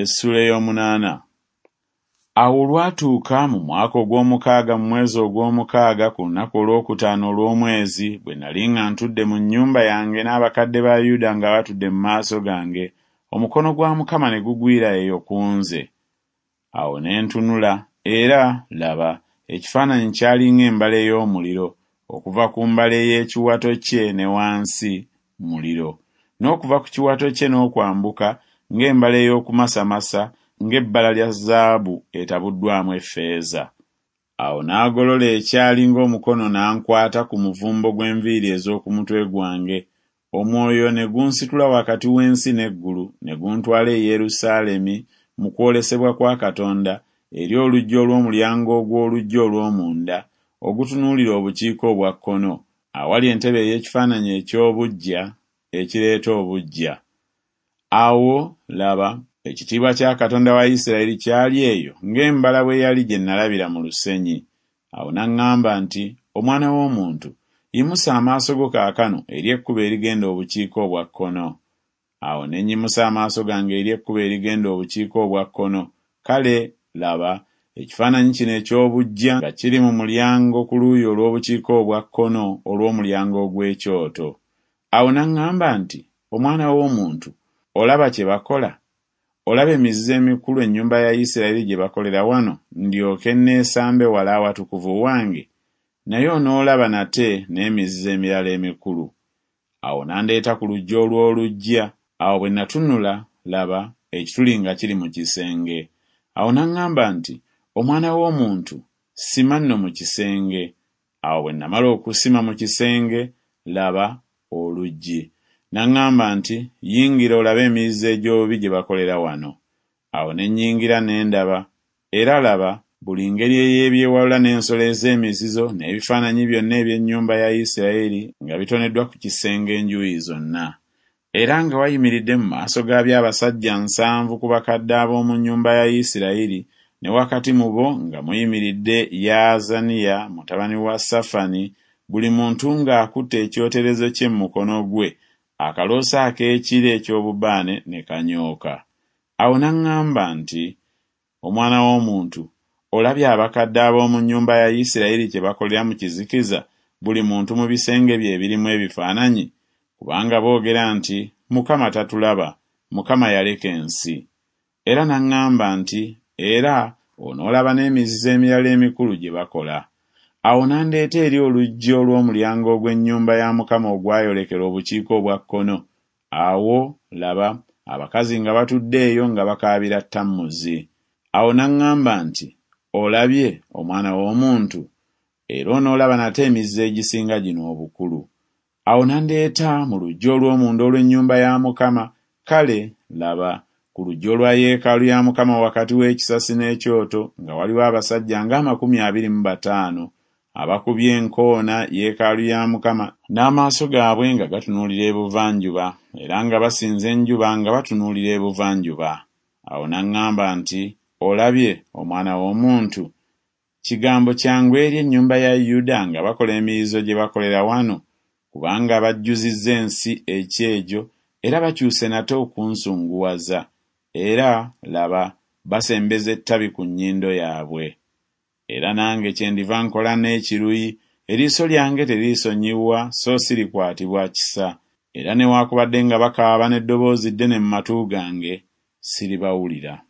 Essuula ey'omunaana. Awo olwatuuka mu mwaka ogw'omukaaga mu mwezi ogw'omukaaga ku lunaku olwokutaano olw'omwezi, bwe nali nga ntudde mu nnyumba yange n'abakadde ba Yuda nga batudde mu maaso gange, omukono gwa Mukama ne gugwira eyo ku nze. Awo ne ntunula, era, laba, ekifaananyi kyali ng'embala ey'omuliro, okuva ku mbala ey'ekiwato kye ne wansi, muliro, n'okuva ku kiwato kye n'okwambuka, ng'embala ey'okumasamasa, ng'ebbala lya zaabu etabuddwamu effeeza. Awo n'agolola ekyali ng'omukono n'ankwata ku muvumbo gw'enviiri ez'oku mutwe gwange, omwoyo ne gunsitula wakati w'ensi n'eggulu ne guntwala e Yerusaalemi mu kwolesebwa kwa Katonda eri oluggi olw'omulyango ogw'oluggya olw'omunda ogutunuulira obukiika obwa kkono, awali entebe ey'ekifaananyi eky'obuggya ekireeta obuggya. Awo, laba, ekitiibwa kya Katonda wa Isirayiri kyali eyo ng'embala bwe yali gye nnalabira mu lusenyi. Awo n'aŋŋamba nti, Omwana w'omuntu, yimusa amaaso go kaakano eri ekkubo erigenda obukiika obwa kkono. Awo ne nnyimusa amaaso gange eri ekkubo erigenda obukiika obwa kkono, kale, laba, ekifaananyi kino eky'obuggya nga kiri mu mulyango ku luuyi olw'obukiika obwa kkono olw'omulyango ogw'ekyoto. Awo n'aŋŋamba nti, Omwana w'omuntu, olaba kye bakola? Olaba emizizo emikulu ennyumba ya Isirayiri gye bakolera wano, ndyoke nneesambe wala awatukuvu wange? Naye onoolaba nate n'emizizo emirala emikulu. Awo n'andeeta ku luggi olw'oluggya, awo bwe natunula, laba, ekituli nga kiri mu kisenge. Awo n'aŋŋamba nti, Omwana w'omuntu, sima nno mu kisenge. Awo bwe namala okusima mu kisenge, laba, oluggi. N'aŋŋamba nti, Yingira olabe emizizo egy'obubi gye bakolera wano. Awo ne nnyingira ne ndaba, era laba, buli ngeri ey'ebyewalula n'ensolo ez'emizizo n'ebifaananyi byonna eby'ennyumba ya Isirayiri nga bitoneddwa ku kisenge enjuuyi zonna. Era nga wayimiridde mu maaso gaabyo abasajja nsanvu ku bakadde ab'omu nnyumba ya Isirayiri, ne wakati mu bo nga muyimiridde Yaazaniya mutabani wa Safani, buli muntu ng'akutte ekyoterezo kye mu mukono gwe, akaloosa ak'ekire eky'obubaane ne kanyooka. Awo n'aŋŋamba nti, Omwana w'omuntu, olabye abakadde ab'omu nnyumba ya Isirayiri kye bakolera mu kizikiza, buli muntu mu bisenge bye ebirimu ebifaananyi? Kubanga boogera nti, Mukama tatulaba, Mukama yaleka ensi. Era n'aŋŋamba nti, Era onoolaba n'emizizo emirala emikulu gye bakola. Awo n'andeeta eri oluggi olw'omulyango ogw'ennyumba ya Mukama ogwayolekera obukiika obwa kkono, awo, laba, abakazi nga batudde eyo nga bakaabira Tammuzi. Awo n'aŋŋamba nti, Olabye, omwana w'omuntu? Era onoolaba nate emizizo egisinga gino obukulu. Awo n'andeeta mu luggya olw'omunda olw'ennyumba ya Mukama, kale, laba, ku luggya olwa yeekaalu ya Mukama wakati w'ekisasi n'ekyoto nga waliwo abasajja ng'amakumi abiri mu bataano, abakubye enkoona yeekaalu ya Mukama n'amaaso gaabwe nga gatunuulira ebuvanjuba, era nga basinza enjuba nga batunuulira ebuvanjuba. Awo n'aŋŋamba nti, Olabye, omwana w'omuntu? Kigambo kyangu eri ennyumba ya Yuda nga bakola emizizo gye bakolera wano, kubanga bajjuzizza ensi ekyejo era bakyuse nate okunsunguwaza, era, laba, basembeza ettabi ku nnyindo yaabwe. Era nange kyendiva nkola n'ekiruyi, eriiso lyange teririsonyiwa so sirikwatibwa kisa, era newaakubadde nga bakaaba n'eddoboozi ddene mu matu gange, siribawulira.